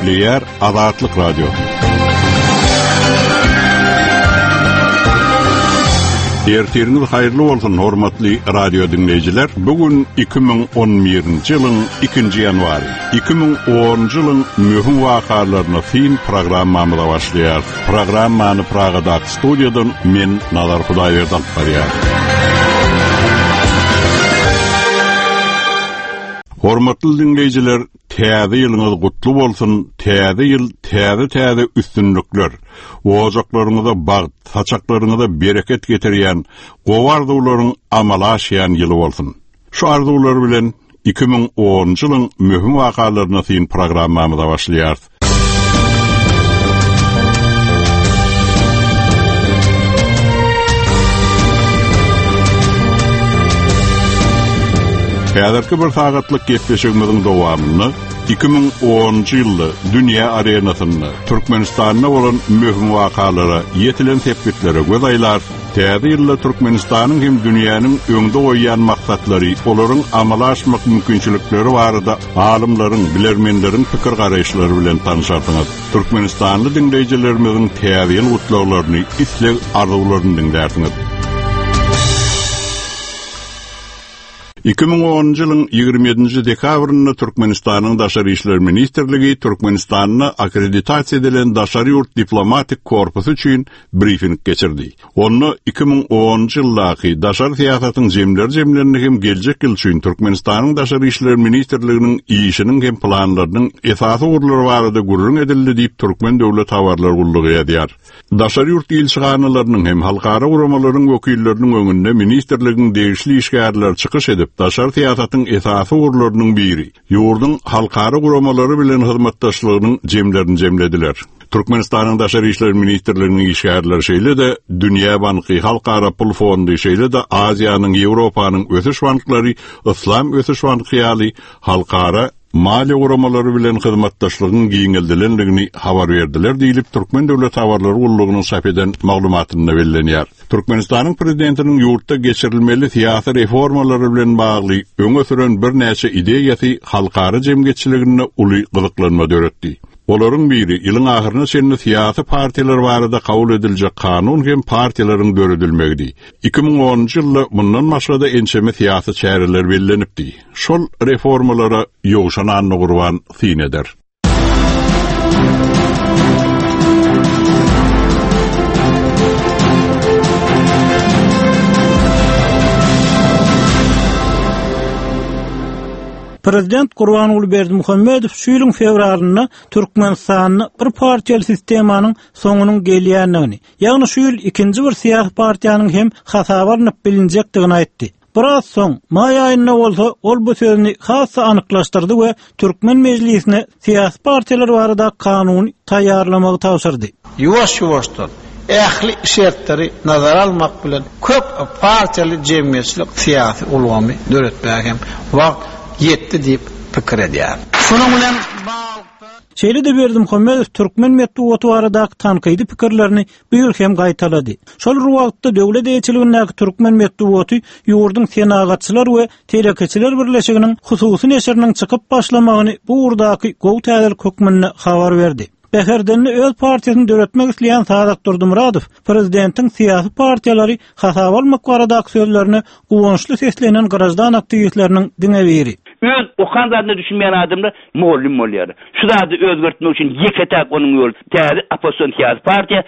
Gepleýär Azatlyk Radiosy. Ertiriňiz haýyrly bolsun, hormatly radio diňleýjiler. Bu gün 2011-nji ýylyň 2-nji ýanwary. 2010-njy ýylyň möhüm wakalaryna syn programmamyza başlaýarys. Programmany Pragadaky studiýadan men Nazar Hudaýberdi alyp barýan. Hormatly diňleýjiler, täze ýylyňyz gutly bolsun, täze ýyl täze-täze üstünlikler, ojaklaryňyza bagt, saçaklaryňyza bereket getirýän gowy arzuwlaryň amala aşýan ýyly bolsun. Şu arzuwlar bilen 2010-njy ýylyň möhüm wakalaryna syn programmamyza başlaýarys. Häzirki bir sagatlyk gepleşigimiziň dowamynda 2010-njy ýylda dünýä arenasynda Türkmenistanda bolan möhüm wakalara, ýetilen sepgitlere göz aýlarys. Täze ýylda Türkmenistanyň hem dünýäniň öňde goýýan maksatlary, olaryň amala aşmak mümkinçilikleri barada alymlaryň, bilermenleriň pikir-garaýyşlary bilen tanşarsyňyz. Türkmenistanly diňleýjilerimiziň Täze ýyl gutlaglaryny, isleg-arzuwlaryny diňlärsiňiz. 2010-njy ýylyň 27-nji dekabrynda Türkmenistanyň Daşary işler ministrligi Türkmenistanda akkreditasiýa edilen daşary ýurt diplomatik korpusy üçin brifing geçirdi. Onda 2010-njy ýyldaky daşary syýasatyň jemleri jemlendi hem geljek ýyl üçin Türkmenistanyň Daşary işler ministrliginiň işiniň hem planlarynyň esasy ugurlary barada gürrüň edildi diýip, Türkmen döwlet habarlar gullugy ýazýar. Daşary ýurt ilçihanalarynyň hem halkara guramalaryň wekilleriniň öňünde ministrligiň degişli işgärleri çykyş edip, daşary syýasatyň esasy ugurlarynyň biri, ýurduň halkara guramalary bilen hyzmatdaşlygynyň jemlerini jemlediler. Türkmenistanyň Daşary işler ministrliginiň işgärleri şeýle-de Dünýä banky, Halkara pul fondy, şeýle-de Aziýanyň, Ýewropanyň ösüş banklary, Yslam ösüş banky ýaly halkara maliýe guramalary bilen hyzmatdaşlygyň giňeldilendigini habar berdiler diýlip, Türkmen döwlet habarlar gullugynyň çap eden maglumatynda bellenýär. Türkmenistanyň Prezidentiniň ýurtda geçirilmeli syýasy reformalary bilen bagly öňe süren birnäçe ideýasy halkara jemgyýetçiliginde uly gyzyklanma döretdi. Olaryň biri, ýylyň ahyryna çenli syýasy partiýalar barada kabul ediljek kanun hem partiýalaryň döredilmegidi. 2010-njy ýylda mundan başga-da ençeme syýasy çäreler bellenipdi. Şol reformalara Ýowşan Annagurban syn eder. Prezident Gurbanguly Berdimuhamedow şu ýylyň fewralynda Türkmenistanda bir partiýaly sistemanyň soňunyň gelýändigini, ýagny şu ýyl ikinji bir syýasy partiýanyň hem hasaba alnyp bilinjekdigini aýtdy. Biraz soň, maý aýynda bolsa, ol bu sözüni has-da anyklaşdyrdy we türkmen mejlisine syýasy partiýalar barada kanuny taýýarlamagy tabşyrdy. Ýuwaş-ýuwaşdan, ähli şertleri nazara almak bilen, köp partiýaly jemgyýetçilik-syýasy ulgamy döretmäge hem wagt ýetdi diýip pikir edýärin. Şunuň bilen baglylykda, Şeýle-de Berdimuhamedow türkmen metbugaty baradaky tankydy pikirlerini bu ýyl hem gaýtalady. Şol bir wagtda döwlet eýeçiligindäki türkmen metbugaty ýurduň Senagatçylar we telekeçiler birleşiginiň hususy neşiriniň çykyp başlamagyny bu ugurdaky gowy täzelik hökmünde habar berdi. Bäherdende öz partiýasyny döretmek isleýän Sadak Durdymyradow prezidentiň syýasy partiýalary hasaba almak baradaky sözlerine guwançly seslenen graždan aktiwistleriniň diňe biri. Öz okan zadyna düşünmeýän adamlar mugallym bolýar. Şu zady özgertmek üçin ýeke-täk onuň ýoly täze oppozision syýasy partiýa.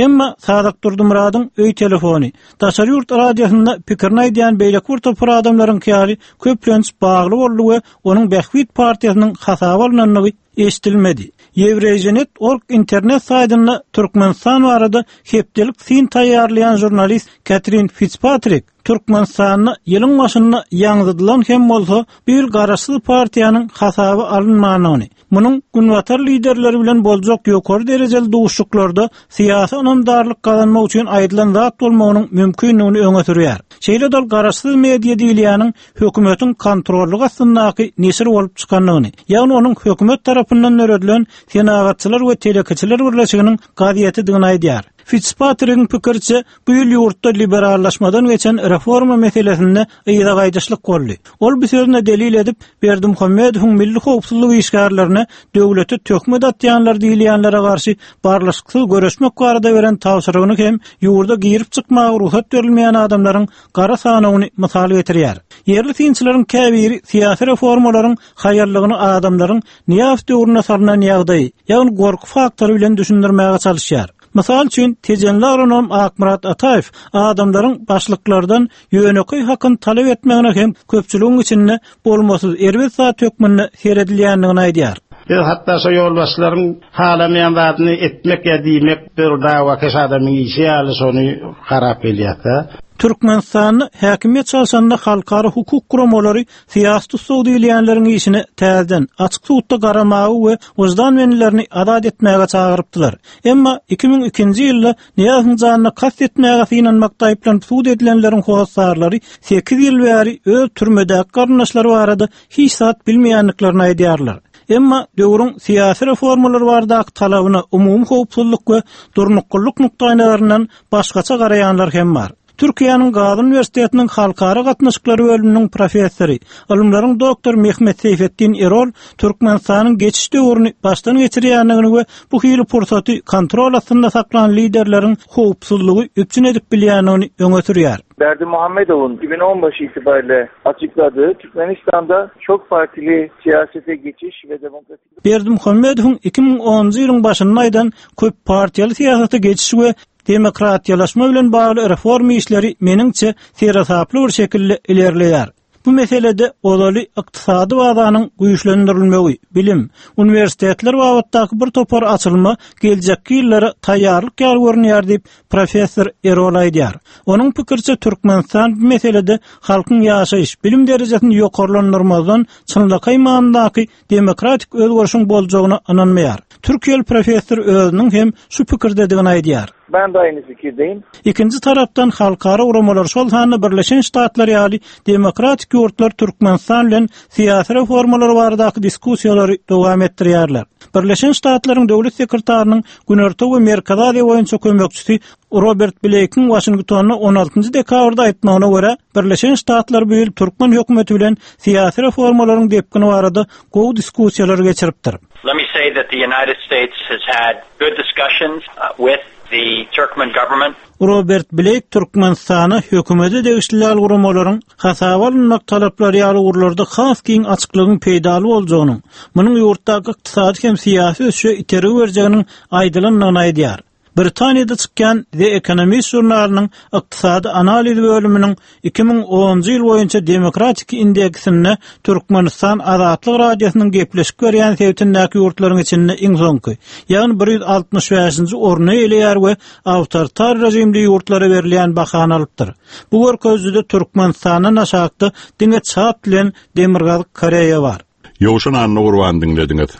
Emma Sadak Durdymyradyň öý telefony, daşary ýurt radiosynda pikirini aýdýan beýleki bir topar adamlaryňky ýaly köplenç bagly boldy we onuň Bähbit partiýasynyň hasaba alnandygy eşidilmedi. Ýewreýženet org internet saýtynda Türkmenistan barada hepdelik syn taýýarlaýan žurnalist Katrin Fitspatrik Türkmenistanda ýylyň başynda ýaňzydylan hem bolsa, bu ýyl garaşsyz partiýanyň hasaba alynmandygyny, munuň günbatar liderleri bilen boljak ýokary derejeli duşuşyklarda syýasy ynamdarlyk gazanmak üçin aýdylan zat bolmagynyň mümkindigini öňe sürýär. Şeýle-de ol garaşsyz media diýilýäniň hökümetiň kontrollygy astyndaky neşir bolup çykandygyny, ýagny onuň hökümet tarapyndan döredilen Senagatçylar we telekeçiler birleşiginiň gazetidigini aýdýar. Fitspatrigiň pikiriçe, bu ýyl ýurtda liberallaşmadan geçen reforma meselesinde yza gaýdyşlyk boldy. Ol bu sözüne delil edip, Berdimuhamedowyň milli howpsuzlyk işgärlerine döwlete töhmet atýanlar diýilýänlere garşy barlyşyksyz göreşmek barada beren tabşyrygyny hem ýurda girip-çykmaga rugsat berilmeýän adamlaryň gara sanawyny mysal getirýär. Ýerli synçylaryň käbiri syýasy reformalaryň haýallygyny adamlaryň Nyýazow döwründe salnan ýagdaýy, ýagny gorky faktory bilen düşündirmäge çalyşýar. Mysal üçin, tejenli agronom Akmyrat Ataýew adamlaryň başlyklardan ýönekeý hakyny talap etmegine hem köpçüligiň içinde bolmasyz erbet zat hökmünde seredilýändigini aýdýar. Biz hatda şo ýolbaşçylaryň halamaýan zadyny etmek ýa diýmek bir dawakeş adamyň işi ýaly şony garap gelýäs-dä. Türkmenistanda häkimiýet çalşanda halkara hukuk guramalary syýasy tussag diýilýänleriň işine täzeden, açyk sudda garamaga we wyždan bendilerini azat etmäge çagyrypdylar. Emma 2002-nji ýylda Nyýazowyň janyna kast etmäge synanmakda aýyplanyp sud edilenleriň hossarlary sekiz ýyl bäri öz türmedäki garyndaşlary barada hiç zat bilmeýändiklerini aýdýarlar. Emma döwrüň syýasy reformalar baradaky talabyna umumy howpsuzlyk we durnuklylyk nukdaýnazaryndan başgaça garaýanlar hem bar. Türkiýäniň Gazi uniwersitetiniň Halkara gatnaşyklary bölüminiň professory, ylymlaryň doktory Mehmet Seýfetdin Erol Türkmenistanyň geçiş döwrüni başdan geçirýändigini we bu hili pursaty kontrol astynda saklan liderleriň howpsuzlygy üpjün edip bilýändigini öňe sürýär. Berdimuhamedow'un 2015 itibariyle açıkladığı Türkmenistan'da çok partili siyasete geçiş ve demokratik Berdimuhamedowyň 2010-njy ýylyň başynda aýdan köp partiýaly syýasata geçiş we Demokratiýalaşma bilen bagly reforma işleri meniňçe seresaply bir şekilde ilerleýär. Bu meselede ozaly ykdysady bazanyň güýçlendirilmegi, bilim, uniwersitetler babatdaky bir topar açylma geljekki ýyllara taýýarlyk ýaly görünýär diýip, professor Erol aýdýar. Onuň pikiriçe, Türkmenistan bu meselede halkyň ýaşaýyş, bilim derejesini ýokarlandyrmazdan çynlakaý manydaky demokratik özgerişiň boljagyna ynanmaýar. Türkiýeli professor özüniň hem şu pikirdedigini aýdýar. Ben de aynı fikirdeyim. Ikinji tarapdan halkara guramalar, şol sanda Birleşen Ştatlar ýaly demokratik ýurtlar Türkmenistan bilen syýasy reformalar baradaky diskussiýalary dowam etdirýärler. Birleşen Ştatlaryň Döwlet sekretarynyň Günorta we Merkezi Aziýa boýunça kömekçisi Robert Bleýkiň Waşingtonda on altynjy dekabrda aýtmagyna görä, Birleşen Ştatlar bu ýyl türkmen hökümeti bilen syýasy reformalaryň depgini barada gowy diskussiýalar geçiripdir. Let me say that the United States has had good discussions with the Turkmen government. Robert Bleýk Türkmenistana hökümete degişli däl guramalaryň hasaba alynmak talaplary ýaly ugurlarda has giň açyklygyň peýdaly boljagynyň, munuň ýurtdaky ykdysady hem syýasy ösüşe itergi berjeginiň aýdylandygyny aýdýar. Britaniýada çykýan The Economist žurnalynyň ykdysady analiz bölüminiň 2010-njy ýyl boýunça demokratik indeksinde Türkmenistan Azatlyk Radiosynyň gepleşik berýän sebitindäki ýurtlaryň içinde iň soňky, ýagny 165-nji orny eýeleýär we awtoritar režimli ýurtlara berilýän bahany alypdyr. Bu görkezijide Türkmenistandan aşakda diňe Çad bilen Demirgazyk Koreýa bar. Ýowşan Annagurbany diňlediňiz.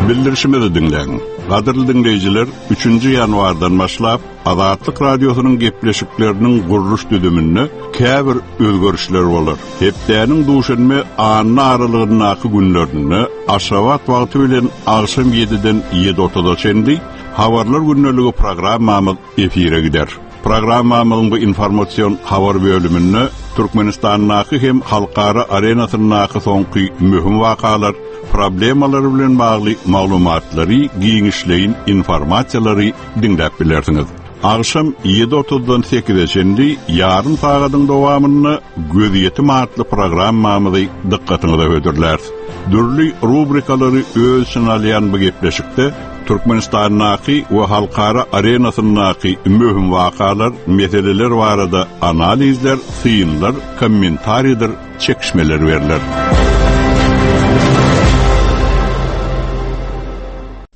Bildirişimizi diňläň. Gadyrly diňleýjiler, üçünji ýanwardan başlap, Azatlyk Radiosynyň gepleşikleriniň gurluş düzüminde käbir özgerişler bolar. Hepdäniň duşenbe, anna aralygyndaky günlerinde Aşgabat wagty bilen agşam ýediden ýedi otuza çenli Habarlar gündeligi programmamyz efire gider. Programmamyzyň bu informasion habar bölüminde Türkmenistandaky hem halkara arenasyndaky soňky möhüm wakalar, problemalar bilen bagly maglumatlary, giňişleýin informasiýalary diňläp bilersiňiz. Agşam ýedi otuzdan sekize çenli ýarym sagadyň dowamynda Gözýetim atly programmamyzy dykgatyňyza hödürläris. Dürli rubrikalary öz içine alýan bu gepleşikde Türkmenistandaky we halkara arenasyndaky möhüm wakalar, meseleler barada analizler, synlar, kommentariýadyr çekişmeler berler.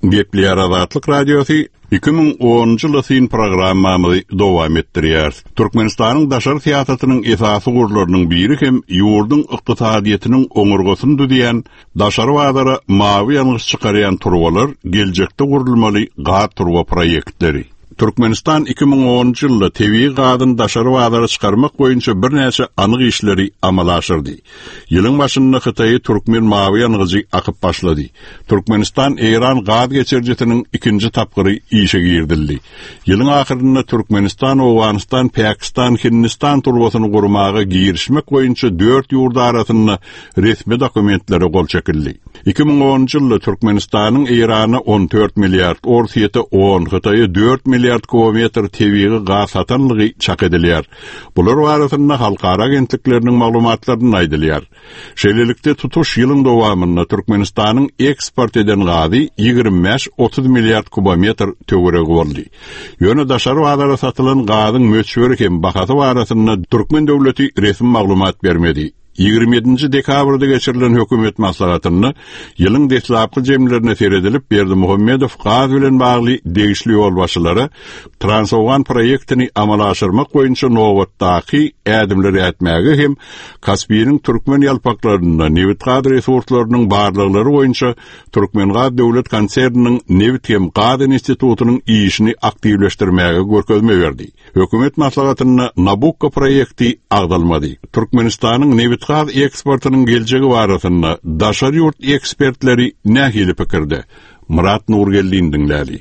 Gepleýär Azatlyk Radiosy, 2010-njy ýyla syn programmamyzy dowam etdirýäris. Türkmenistanyň daşary syýasatynyň esasy ugurlarynyň biri hem ýurduň ykdysadyýetiniň oňurgasyny düzýän Daşary bazara mawy ýangyç çykarýan turbalar geljekde gurulmaly gaz turba proýektleri. Türkmenistan 2010-njy ýylda tebigy gazyny daşary bazara çykarmak boýunça birnäçe anyk işleri amala aşyrdy. Ýylyň başynda Hytaýa türkmen mawy ýangyjy akyp başlady. Türkmenistan-Eýran gaz geçirijisiniň ikinji tapgyry işe girizildi. Ýylyň ahyrynda Türkmenistan, Owganystan, Pakistan, Hindistan turbasyny gurmaga girişmek boýunça dört ýurt arasynda resmi dokumentlere gol çekildi. 2010-njy ýylda Türkmenistanyň Eýrana 14 milliard, Orsýete 10, Hytaýa 4 milliard kubometr tebigy gaz satanlygy çak edilýär. Bular barasynda halkara agentlikleriniň maglumatlarynda aýdylýar. Şeýlelikde, tutuş ýylyň dowamynda Türkmenistanyň eksport eden gazy 25-30 milliard kubometr töweregi boldy. Ýöne daşary bazara satylan gazyň möçberi hem bahasy barasynda türkmen döwleti resmi maglumat bermedi. 27-nji dekabrda geçirilen hökümet maslahatynda ýylyň deslapky jemlerine seredilip, Berdimuhamedow gaz bilen bagly degişli ýolbaşçylara Transowgan proýektini amala aşyrmak boýunça nobatdaky ädimleri ätmäge hem Kaspiniň türkmen ýalpaklarynda nebit-gaz resurslarynyň barlaglary boýunça Türkmengaz döwlet konserniniň nebit hem gaz institutynyň işini aktiwleşdirmäge görkezme berdi. Hökümet maslahatynda Nabukko proýekti agzalmady. Türkmenistanyň nebitgaz eksportynyň geljegi barasynda daşary ýurt ekspertleri nähili pikirde? Myrat Nurgeldini diňläli.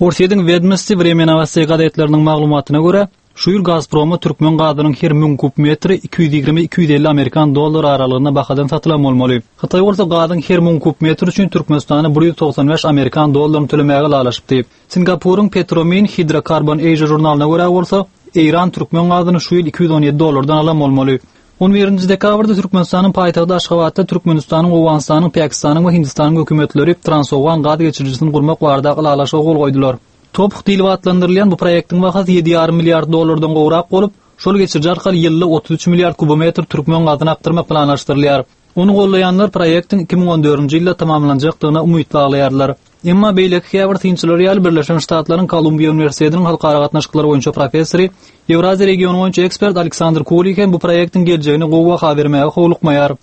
Orsýetiň Wedomosti, Wremýa Nowosteý gazetleriniň maglumatyna görä, şu ýyl Gazproma türkmen gazynyň her 1000 kub metri 220, 250 amerikan dollary aralygynda bahadan satylan bolmaly. Hytaý bolsa gazyň her 1000 kub metri üçin Türkmenistana 195 amerikan dollaryny tölemäge ylalaşypdy. Singapuryň Petromin Hydrocarbon Asia žurnalyna görä bolsa, Eýran türkmen gazyny şu ýyl 217 dollardan alan bolmaly. On birinji dekabrda Türkmenistanyň paýtagty Aşgabatda Türkmenistanyň, Owganystanyň, Pakistanyň we Hindistanyň hökümetleri Transowgan gaz geçirijisini gurmak baradaky ylalaşyga gol goýdular. TOPH diýlip atlandyrylýan bu proýektiň bahasy ýedi ýarym milliard dollardan gowrak bolup, şol geçiriji arkaly ýylda 33 milliard kubometr türkmen gazyny akdyrmak planlaşdyrylýar. Ony goldaýanlar proýektiň 2014-nji ýylda tamamlanjakdygyna umyt baglaýarlar. Emma beýleki käbir synçylar ýaly Birleşen Ştatlaryň Kolumbiýa uniwersitetiniň halkara gatnaşyklary boýunça professory, Ýewraziýa regiony boýunça ekspert Aleksandr Kulik hem bu proýektiň geljegine gowy baha bermäge howlukmaýar.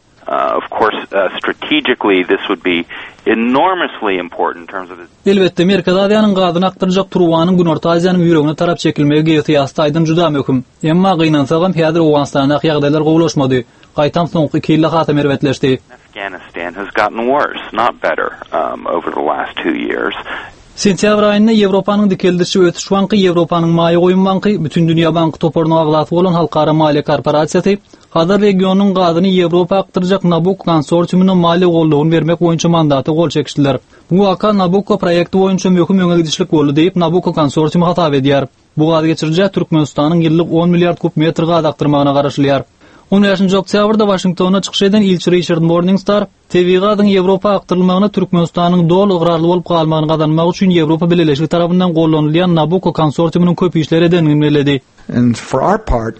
Of course, strategically this would be enormously important in terms of the. Elbetde, Merkezi Aziýanyň gazyny akdyrjak turbanyň Günorta Aziýanyň ýüregine tarap çekilmegi geosyýasy taýdan juda möhüm. Emma, gynansagam, häzir Owganystandaky ýagdaýlar gowulaşmady. Gaýtam soňky iki ýylda hasam erbetleşdi. Afghanistan has gotten worse, not better, over the last two years. Sentýabr aýynda Ýewropanyň Dikeldiş we ösüş banky, Ýewropanyň Maýa goýum banky, Bütindünýä banky toparynyň agzasy bolan Halkara maliýe korporasiýasy Hazar regionynyň gazyny Ýewropa akdyrjak Nabukko konsorsiumyna maliýe goldawyny bermek boýunça mandata gol çekişdiler. Bu waka Nabukko proýekti boýunça möhüm öňe gidişlik boldy diýip, Nabukko konsorsiumy hasap edýär. Bu gaz geçirijä Türkmenistanyň ýyllyk on milliard kub metr gaz akdyrmagyna garaşylýar. On bäşinji oktýabrda Waşingtonda çykyş eden ilçi Riçard Morningstar tebigy gazyň Ýewropa akdyrylmagyna Türkmenistanyň doly ygrarly bolup galmagyny gazanmak üçin Ýewropa Bileleşigi tarapyndan gollanylýan Nabucco konsorsiumynyň köp işler edendigini belledi. And for our part,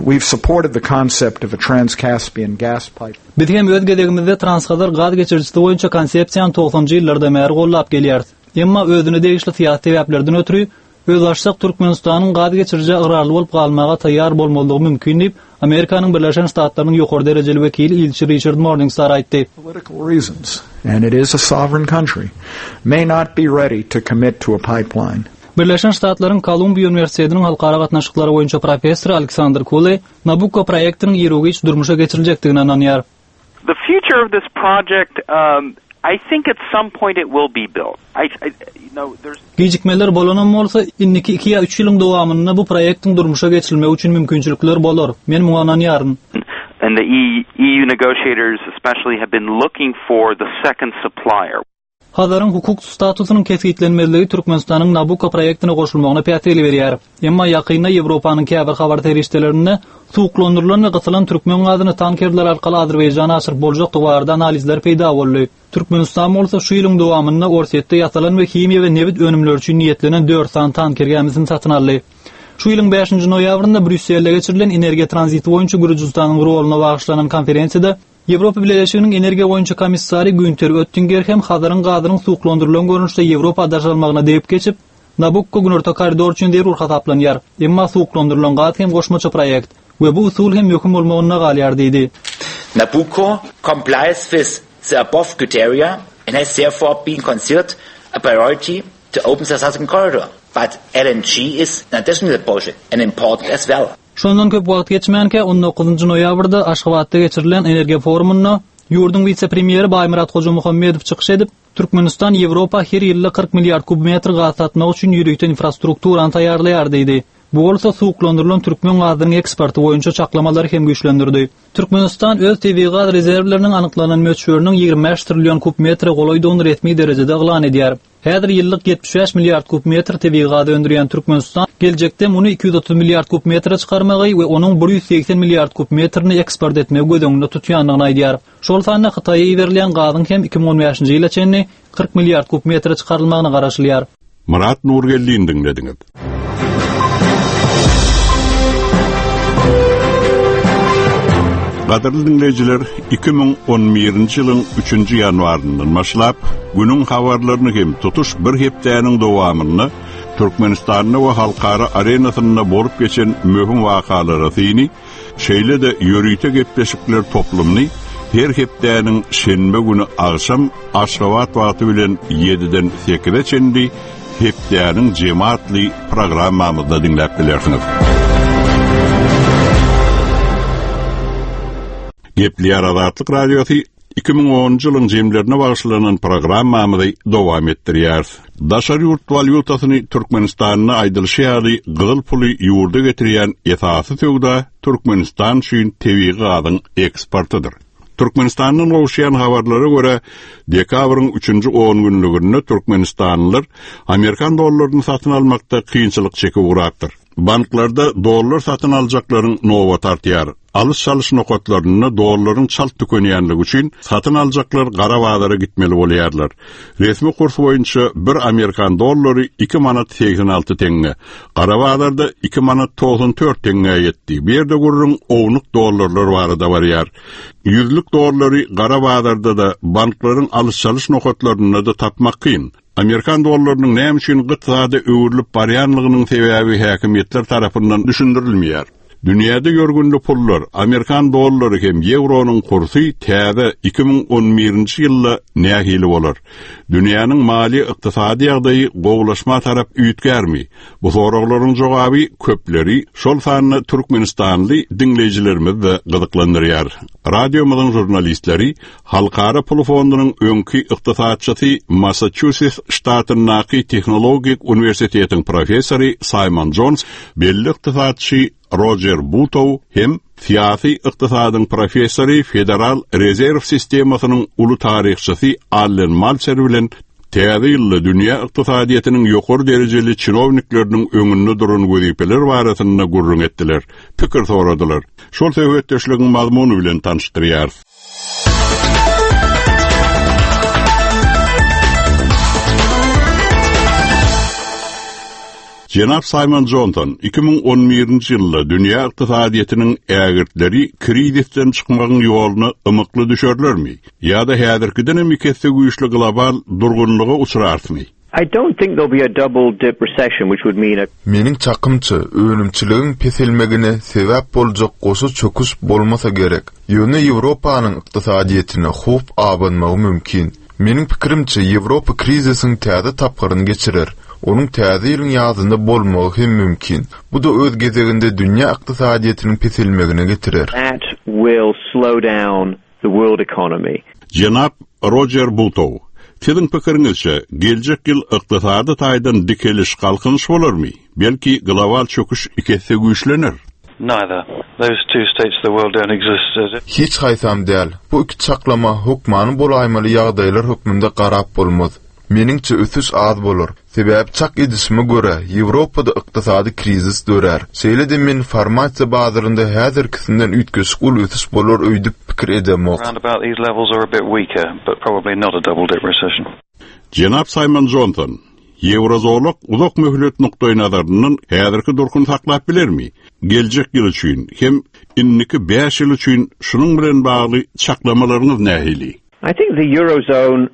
we've supported the concept of a Trans-Caspian gas pipe. Biz hem öz gezegimizde Transhazar gaz geçirijisi boýunça konsepsiýany togsanjy ýyllardan bäri gollap gelýäris. Emma özüne degişli syýasy sebäplerden ötri, özbaşdak Türkmenistanyň gaz geçirijä ygrarly bolup galmaga taýýar bolmazlygy mümkin diýip, Amerikanyň Birleşen Ştatlarynyň ýokary derejeli wekili ilçi Riçard Morningstar aýtdy. Political reasons, and it is a sovereign country, may not be ready to commit to a pipeline. Birleşen Ştatlaryň Kolumbiýa uniwersitetiniň halkara gatnaşyklary boýunça professory Aleksandr Kule Nabukko proýektiniň iru-giç durmuşa geçiriljekdigine ynanýar. The future of this project, I think at some point it will be built. I, I, you know, there's. Gijikmeler bolanam bolsa, indiki iki ýa üç ýylyň dowamynda bu proýektiň durmuşa geçirilmegi üçin mümkinçilikler bolar. Men muňa ynanýaryn. And the EU negotiators especially have been looking for the second supplier. Hazaryň hukuk statusynyň kesgitlenmezligi Türkmenistanyň Nabucco proýektine goşulmagyna päsgel berýär. Emma ýakynda Ýewropanyň käbir habar serişdelerinde suwuklandyrylan we gysylan türkmen gazyny tankerler arkaly Azerbaýjana aşyryp boljakdygy barada analizler peýda boldy. Türkmenistan bolsa şu ýylyň dowamynda Orsýetde ýasalan we himiýa we nebit önümleri üçin niýetlenen dört sany tanker gämisini satyn aldy. Şu ýylyň bäşinji noýabrynda Brýusselde geçirilen energiýa tranziti boýunça Gürjüstanyň roluna bagyşlanan konferensiýada Ýewropa Bileleşiginiň energiýa boýunça komissary Günter Öttinger hem Hazaryň gazynyň suwuklandyrylan görnüşde Ýewropa daşalmagyna degip geçip, Nabukko Günorta koridor üçin zerur hasaplanýar, emma suwuklandyrylan gaz hem goşmaça proýekt we bu usul hem möhüm bolmagynda galýar diýdi. Nabucco complies with the above criteria and has therefore been considered a priority to open the Southern Corridor. But LNG is an additional project and important as well. Şondan köp wagt geçmänkä, on dokuzynjy noýabrda Aşgabatda geçirilen energiýa forumynda ýurduň wise-premýeri Baýmyrat Hojamuhammedow çykyş edip, Türkmenistan Ýewropa her ýylda 40 milliard kub metr gaz satmak üçin ýörite infrastrukturany taýýarlaýar diýdi. Bu bolsa suwuklandyrylan türkmen gazynyň eksporty boýunça çaklamalary hem güýçlendirdi. Türkmenistan öz tebigy gaz rezerwleriniň anyklanan möçberiniň 25 trillion kub metre golaýdygyny resmi derejede yglan edýär. Häzir ýyllyk 75 milliard kub metr tebigy gaz öndürýän Türkmenistan geljekde muny 230 milliard kub metre çykarmagy we onuň 180 milliard kub metrini eksport etmegi göz öňünde tutýandygyny aýdýar. Şol sanda Hytaýa iberilýän gazyň hem 2015-nji ýyla çenli 40 milliard kub metre çykarylmagyna garaşylýar. Myrat Nurgeldini diňlediňiz. Gadyrly diňleýjiler, 2011-nji ýylyň 3-nji ýanwaryndan başlap, günüň habarlaryny hem tutuş bir hepdäniň dowamynda Türkmenistanda we halkara arenasynda bolup geçen möhüm wakalara syny, şeýle-de ýörite gepleşikler toplumyny her hepdäniň şenbe güni agşam Aşgabat wagty bilen ýediden sekize çenli Hepdäniň jemi atly programmamyzda diňläp bilersiňiz. Gepleýär Azatlyk Radiosy 2010-njy ýylyň jemlerine bagyşlanan programmamyzy dowam etdirýäris. Daşary ýurt walýutasyny Türkmenistanda aýdylyşy ýaly gyzyl puly ýurda getirýän esasy söwda Türkmenistan üçin tebigy gazyň eksportydyr. Türkmenistandan gowuşýan habarlara görä, dekabryň üçünji ongünlüginde türkmenistanlylar amerikan dollaryny satyn almakda kynçylyk çekip ugrapdyr. Banklarda dollar satyn aljaklaryň nobaty artýar. Alyş-çalyş nokatlarynda dollaryň çalt tükenýänligi üçin satyn aljaklar gara bazara gitmeli bolýarlar. Resmi kurs boýunça bir amerikan dollary iki manat 86 teňňe, gara bazarda iki manat 94 teňňä ýetdi. Bu ýerde gürrüň ownuk dollarlar barada barýar. Ýüzlük dollary gara bazarda-da, banklaryň alyş-çalyş nokatlarynda-da tapmak kyn. Amerikan dollarynyň näme üçin gyt zada öwrülip barýanlygynyň sebäbi häkimiýetler tarapyndan düşündirilmeýär. Dünýäde ýörgünli pullar, amerikan dollary hem ýewronyň kursy täze 2011-nji ýylda nähili bolar? Dünýäniň maliýe-ykdysady ýagdaýy gowulaşma tarap üýtgärmi? Bu soraglaryň jogaby köpleri, şol sanda türkmenistanly diňleýjilerimizi-de gyzyklandyrýar. Radiomyzyň žurnalistleri Halkara pul fondunyň öňki ykdysatçysy Massaçusets ştatyndaky Tehnologik uniwersitetiň professory Saýmon Jons, belli ykdysatçy Rojer Butow hem syýasy ykdysadyň professory Federal rezerw sistemasynyň uly taryhçysy Allen Malçer bilen täze ýylda dünýä ykdysadyýetiniň ýokary derejeli çinownikleriniň öňünde duran wezipeler barasynda gürrüň etdiler, pikir soradylar. Şol söhbetdeşligiň mazmuny bilen tanyşdyrýarys. Jenap Saýmon Jonson 2011-nji ýylda dünýä ykdysadyýetiniň ägirtleri krizisden çykmagyň ýoluna ymykly düşerlermi ýa-da häzirkidenem iki esse güýçli global durgunlyga uçrarsmy? I don't think there'll be a double dip recession which would mean a. Meniň çakymça, önümçiligiň peselmegine sebäp boljak goşa çöküş bolmasa gerek. Ýöne Ýewropanyň ykdysadyýetine howp abanmagy mümkin. Meniň pikirimçe, Ýewropa krizisiň täze tapgyryny geçirer. Onuň täze ýylyň ýazynda bolmagy hem mümkin. Bu-da öz gezeginde dünýä ykdysadyýetiniň peselmegine getirer. That will slow down the world economy. Jenap Rojer Butow, siziň pikiriňizçe, geljek ýyl ykdysady taýdan dikeliş, galkynyş bolarmy? Belki, global çöküş iki esse güýçlener? Neither. Those two states of the world don't exist as. Hiç haýsam däl. Bu iki çaklama hökmany bolaýmaly ýagdaýlar hökmünde garap bolmaz. Meniňçe ösüş az bolar. Sebäbi çak edişime görä, Ýewropada ykdysady krizis dörär. Şeýle-de men formasiýa bazarynda häzirkisinden üýtgeşik uly ösüş bolar öýdüp pikir edemok. Jenap Saýmon Jonson, Ýewrozolak uzak möhlet nukdaýnazaryndan häzirki durkuny saklap bilermi? Geljek ýyl üçin hem indiki bäş ýyl üçin şunuň bilen bagly çaklamalaryňyz nähili? I think the Eurozone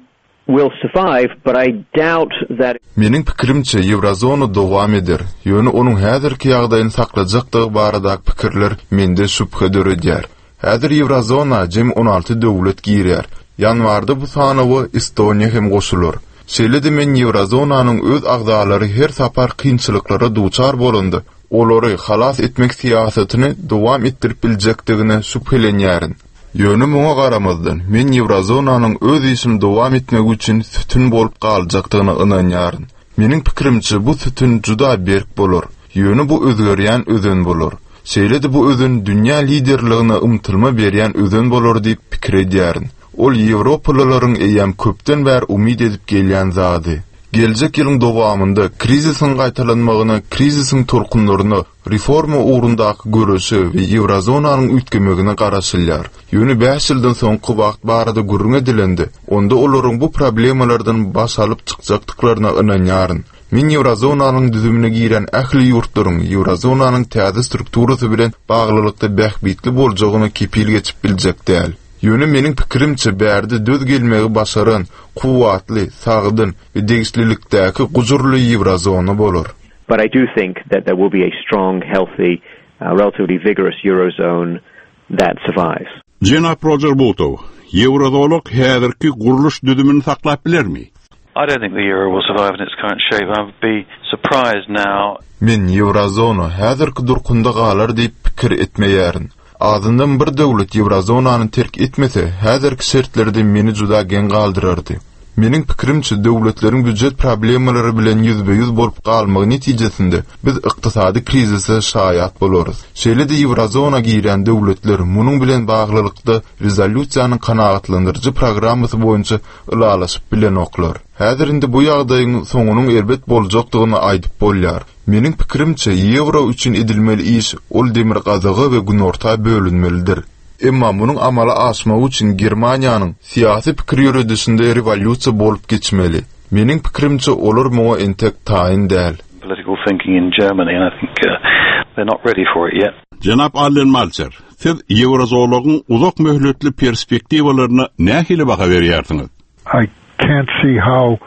will survive, but I doubt that. Meniň pikirimçe, Ýewrozona dowam eder, ýöne onuň häzirki ýagdaýyny saklajakdygy baradaky pikirler mende şübhe döredýär. Häzir Ýewrozona jemi 16 döwlet girýär. Ýanwarda bu sanawa Estoniýa hem goşular. Şeýle-de men Ýewrozonanyň öz agzalary her sapar kynçylyklara duçar bolanda, olary halas etmek syýasatyny dowam etdirip biljekdigine şübhelenýärin. Ýöne muňa garamazdan, men Ýewrozonanyň öz işini dowam etmegi üçin sütün bolup galjakdygyna ynanýaryn. Meniň pikirimçe, bu sütün juda berk bolar. Ýöne bu özgerýän özen bolar. Şeýle-de bu özen dünýä liderligine ymtylma berýän özen bolar diýip pikir edýärin. Ol ýewropalylaryň eýýäm köpden bäri umyt edip gelýän zady. Geljek ýylyň dowamynda krizisiň gaýtalanmagyna, krizisiň tolkunlaryna, reforma ugrundaky göreşe we ýewrozonanyň üýtgemegine garaşylýar. Ýöne bäş ýyldan soňky wagt barada gürrüň edilende, onda olaryň bu problemalardan baş alyp çykjakdyklaryna ynanýaryn. Men ýewrozonanyň düzümine girýän ähli ýurtlaryň ýewrozonanyň täze strukturasy bilen baglylykda bähbitli boljagyna kepil geçip biljek däl. Ýöne meniň pikirimçe bärde döz gelmegi başaran, kuwwatly, sagdyn we degişlilikdäki gujurly ýewrozona bolar. But I do think that there will be a strong, healthy, relatively vigorous eurozone that survives. Jenap Rojer Butow, ýewrozolak häzirki gurluş düzümini saklap bilermi? I don't think the euro will survive in its current shape. I would be surprised now. Men ýewrozona häzirki durkunda galar diýip pikir etmeýärin. Azyndan bir döwlet ýewrozonany terk etmese, häzirki şertlerde meni juda geň galdyrardy. Meniň pikirimçe, döwletleriň býujet problemalary bilen ýüzbe-ýüz bolup galmagy netijesinde biz ykdysady krizise şaýat bolarys. Şeýle-de ýewrozona girýän döwletler munuň bilen baglylykda rezolýusiýanyň kanagatlandyryjy programmasy boýunça ylalaşyp bilenoklar. Häzir indi bu ýagdaýyň soňunyň erbet boljakdygyny aýdyp bolýar. Meniň pikirimçe, ýewro üçin edilmeli iş ol demirgazyga we günorta bölünmelidir. Emma munuň amala aşmagy üçin Germaniýanyň syýasy pikir ýöredişinde rewolýusiýa bolup geçmeli. Meniň pikirimçe, olar muňa entek taýyn däl. Political thinking in Germany and I think they're not ready for it yet. Jenap Allen Malçer, siz ýewrozolagyň uzak möhletli perspektiwalaryna nähili baha berýärsiňiz? I can't see how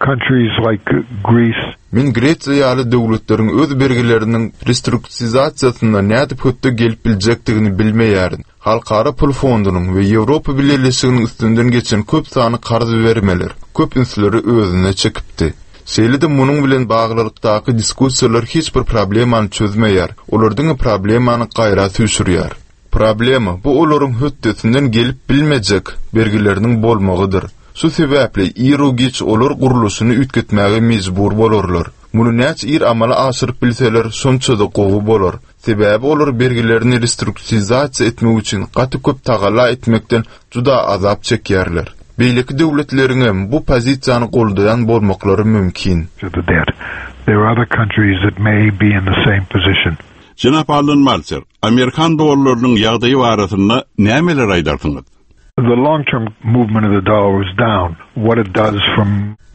countries like Greece. Men Gresiýa ýaly döwletleriň öz bergileriniň restruktizasiýasynda nädip hötde gelip biljekdigini bilmeýärin. Halkara pul fondunyň we Ýewropa Bileleşiginiň üstünden geçen köp sanly karz bermeler köp ünsleri özüne çekipdi. Şeýle-de munuň bilen baglylykdaky diskussiýalar hiç bir problemany çözmeýär, olar diňe problemany gaýra süýşürýär. Problema, bu olaryň hötdesinden gelip bilmejek bergileriniň bolmagydyr. Şu sebäpli iru-giç olar gurluşyny üýtgetmäge mejbur bolarlar. Muny näçe ir amala aşyryp bilseler, şonça-da gowy bolar. Sebäbi olar bergilerini restruktizasiýa etmek üçin gaty köp tagalla etmekden juda azap çekýärler. Beýleki döwletleriňem bu pozisiýany goldaýan bolmaklary mümkin. There are other countries that may be in the same position. Jenap Allen Malser, amerikan dollarynyň ýagdaýy barasynda nämeler aýdarsyňyz? The long term movement of the dollar was down. What it does from.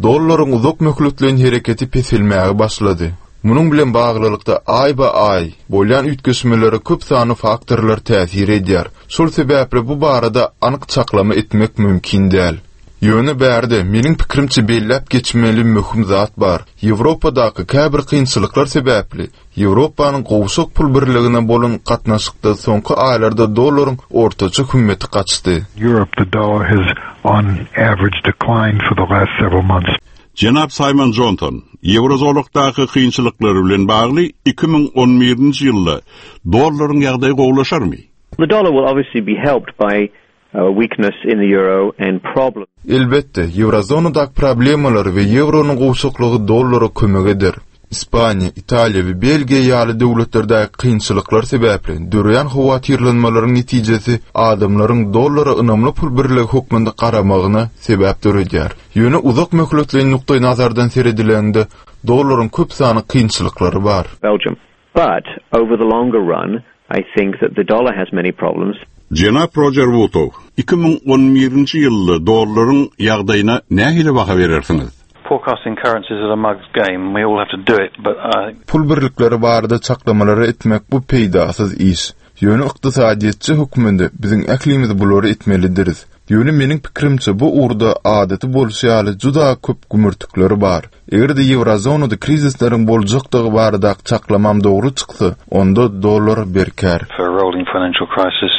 Dollaryň uzak möhletleýin hereketi peselmäge başlady. Munuň bilen baglylykda aýba-aý bolýan üýtgeşmelere köp sanly faktorlar täsir edýär. Şol sebäpli bu barada anyk çaklama etmek mümkin däl. Ýöne bärde, meniň pikirimçe belläp geçmeli möhüm zat bar. Ýewropadaky käbir kynçylyklar sebäpli, Ýewropanyň gowşak pul birligine bolan gatnaşykda soňky aýlarda dollaryň ortaça hümmeti gaçdy. Europe, the dollar has on average declined for the last several months. Jenap Saýmon Jonson, Ýewrozolakdaky kynçylyklar bilen bagly 2011-nji ýylda dollaryň ýagdaýy gowulaşarmy? The dollar will obviously be helped by weakness in the euro and problems. Elbetde, ýewrozonadaky problemalar we ýewronyň gowşaklygy dollara kömek eder. Ispaniýa, Italiýa we Belgiýa ýaly döwletlerdäki kynçylyklar sebäpli döreýän howatyrlanmalaryň netijesi adamlaryň dollara ynamly pul birligi hökmünde garamagyna sebäp döredýär. Ýöne uzak möhletleýin nukdaýnazardan seredilende, dollaryň köp sanly kynçylyklary bar. Belgium. But, over the longer run, I think that the dollar has many problems. Jenap Rojer Wutow, 2011-nji ýylda dollaryň ýagdaýyna nähili baha berersiňiz? Forecasting currencies is a mug's game, we all have to do it, but I. Pul birlikleri barada çaklamalary etmek bu peýdasyz iş. Ýöne ykdysadyýetçi hökmünde biziň ählimiz bulary etmelidiris. Ýöne meniň pikirimçe bu ugurda adaty bolşy ýaly juda köp gümürtikleri bar. Eger-de ýewrozonada krizisleriň boljakdygy baradaky çaklamam dogry çyksa, onda dollar berkär. For a rolling financial crisis.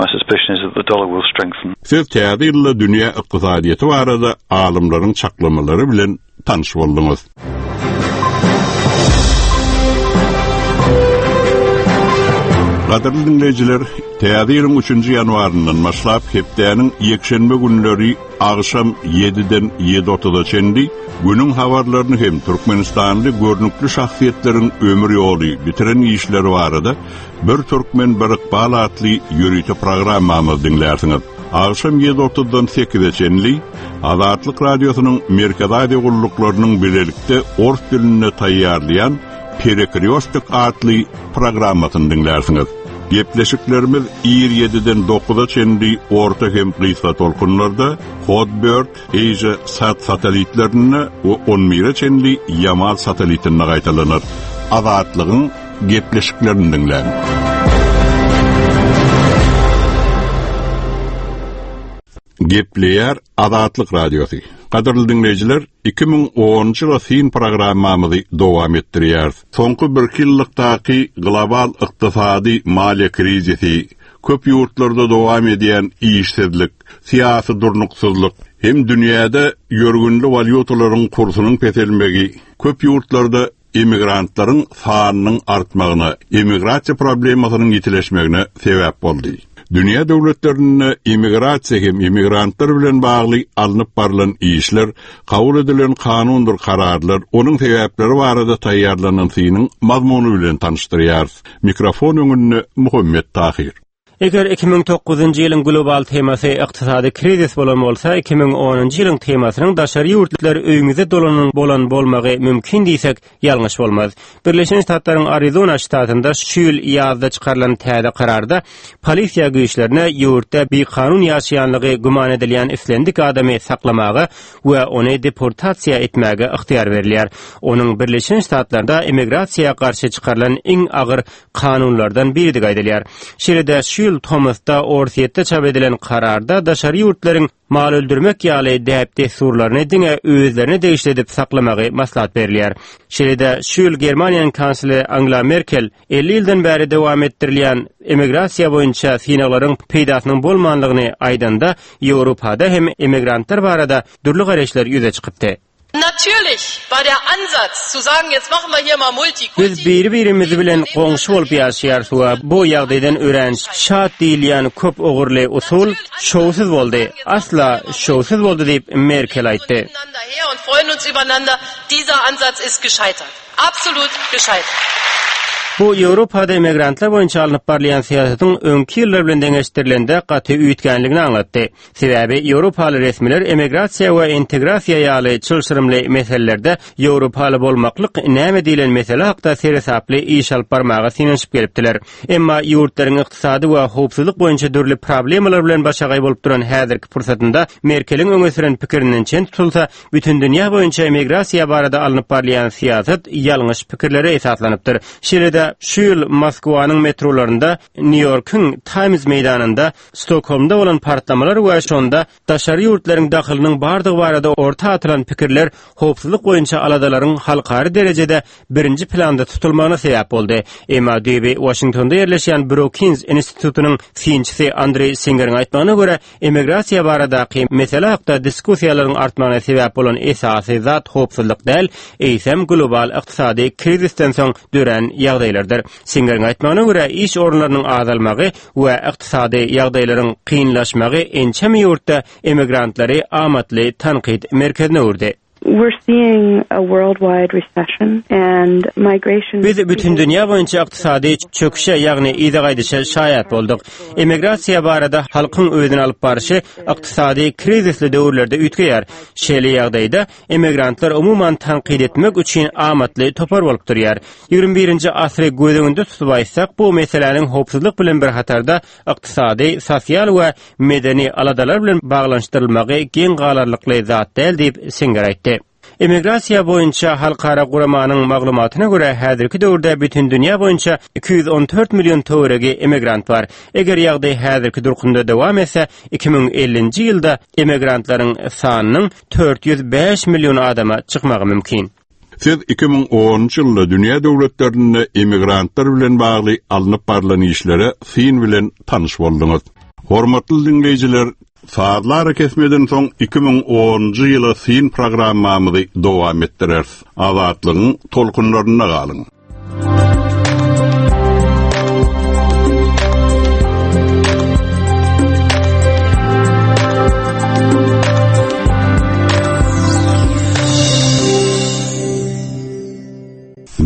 My suspicion is that the dollar will strengthen. Siz täze ýylda dünýä ykdysadyýeti barada alymlaryň çaklamalary bilen tanyş bolduňyz. Gadyrly diňleýjiler, täze ýylyň üçünji ýanwaryndan başlap hepdäniň ýekşenbe günleri agşam ýediden ýedi otuza çenli günüň habarlaryny hem türkmenistanly görnükli şahsyýetleriň ömür ýoly, bitiren işleri barada Bir türkmen bir ykbal atly ýörite programmamyzy diňlärsiňiz. Agşam ýedi otuzdan sekize çenli Azatlyk Radiosynyň Merkezi Aziýa gulluklarynyň bilelikde ors dilinde taýýarlaýan Perekrýostok atly programmasyny diňlärsiňiz. Gepleşiklerimiz ir ýediden dokuza çenli orta hem gysga tolkunlarda, Hotbird, Asia Sat satelitlerinde we on bire çenli Ýamal satelitinde gaýtalanar. Azatlygyň gepleşiklerini diňläň. Gepleýär Azatlyk Radiosy. Gadyrly diňleýjiler, 2010-njy ýyla syn programmamyzy dowam etdirýäris. Soňky birki ýyllykdaky global ykdysady maliýe krizisi, köp ýurtlarda dowam edýän işsizlik, syýasy durnuksyzlyk hem dünýäde ýörgünli walýutalaryň kursunyň peselmegi köp ýurtlarda emigrantlaryň sanynyň artmagyna, emigrasiýa problemasynyň ýitileşmegine sebäp boldy. Dünýä döwletlerinde emigrasiýa hem emigrantlar bilen bagly alnyp barlan işler, kabul edilen kanundyr kararlar, onuň sebäpleri barada taýýarlanan synyň mazmuny bilen tanyşdyrýarys. Mikrofon öňünde Muhammet Tahyr. Eger 2009-njy ýylyň global temasy ykdysady krizis bolan bolsa, 2010-njy ýylyň temasynyň daşary ýurtlylar öýüňize dolanyň bolan bolmagy mümkin diýsek, ýalňyş bolmaz. Birleşen Ştatlaryň Arizona ştatynda şu ýyl ýazda çykarylan täze kararda polisiýa güýçlerine ýurtda bikanun ýaşaýanlygy güman edilýän islendik adamy saklamaga we ony deportasiýa etmäge ygtyýar berilýär. Onuň Birleşen Ştatlarda immigrasiýa garşy çykarylan iň agyr kanunlardan biridigi aýdylýar. Şeýle-de şu ýyl tomusda Orsýetde çap edilen kararda daşary ýurtlaryň mal öldürmek ýaly däp-dessurlaryny diňe özlerine degişli edip saklamagy maslahat berilýär. Şeýle-de şu ýyl Germaniýanyň kansleri Angela Merkel 50 ýyldan bäri dowam etdirilýän emigrasiýa boýunça synaglaryň peýdasynyň bolmanlygyny aýdanda, Ýewropada hem emigrantlar barada dürli garaýyşlar ýüze çykypdy. Natürlich war der Ansatz, zu sagen, jetzt machen wir hier mal Multikulti. Biz biri-birimiz bilen goňşy bolup ýaşaýarys we bu ýagdaýdan örän şat diýilýän köp ugurly usul şowsuz boldy, asla şowsuz boldy diýip, Merkel aýtdy. Bu Ýewropada immigrantlar boýunça alnyp barylýan syýasatyň öňki ýyllar bilen deňeşdirilende gaty üýtgänligini aňlatdy. Sebäbi ýewropaly resmiler emigrasiýa we integrasiýa ýaly çylşyrymly meselelerde ýewropaly bolmaklyk näme diýlen mesele hakda seresaply iş alyp barmaga synanyşyp gelipdiler. Emma ýurtlaryň ykdysady we howpsuzlyk boýunça dürli problemalar bilen başagaý bolup duran häzirki pursatynda Merkeliň öňe süren pikirinden çen tutulsa, bütindünýä boýunça emigrasiýa barada alnyp barylýan syýasat ýalňyş pikirlere esaslanypdyr. Şeýle-de şu ýyl Moskwanyň metrolarynda, Nýu-Ýorkuň Taýmz meýdanynda Stokholmda bolan partlamalar we şonda daşary ýurtlaryň dahylynyň bardygy barada orta atylan pikirler howpsuzlyk boýunça aladalaryň halkara derejede birinji planda tutulmagyna sebäp boldy. Emma düýbi Waşingtonda ýerleşýän Brookings institutynyň synçysy Andreý Singeriň aýtmagyna görä, emigrasiýa baradaky mesele hakda diskussiýalaryň artmagyna sebäp bolan esasy zat howpsuzlyk däl, eýsem global ykdysady krizisden soň dörän ýagdaýlardyr. Singeriň aýtmagyna görä, iş orunlarynyň azalmagy we ykdysady ýagdaýlaryň kynlaşmagy ençeme ýurtda emigrantlary amatly tankyt merkezine öwürdi. We're seeing a worldwide recession and migration. Biz bütindünýä boýunça ykdysady çöküşe, ýagny yza gaýdyşa şaýat bolduk. Emigrasiýa barada halkyň özüni alyp barşy ykdysady krizisli döwürlerde üýtgeýär. Şeýle ýagdaýda emigrantlar umuman tankyt etmek üçin amatly topar bolup durýar. Ýigrimi birinji asyry göz öňünde tutup aýtsak, bu meseläniň howpsuzlyk bilen bir hatarda ykdysady, sosial we medeni aladalar bilen baglanyşdyrylmagy geň galarlykly zat däl diýip, Singer aýtdy. Emigrasiýa boýunça halkara guramanyň maglumatyna görä, häzirki döwürde bütindünýä boýunça 214 million töweregi emigrant bar. Eger ýagdaý häzirki durkunda dowam etse, 2050-nji ýylda emigrantlaryň sanynyň 405 million adama çykmagy mümkin. Siz 2010-njy ýylda dünýä döwletlerinde emigrantlar bilen bagly alnyp barlan işlere syn bilen tanyş bolduňyz. Hormatly diňleýjiler, sazly arakesmeden soň 2010-njy ýyla syn programmamyzy dowam etdireris. Azatlygyň tolkunlarynda galyň!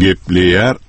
Gepleýär.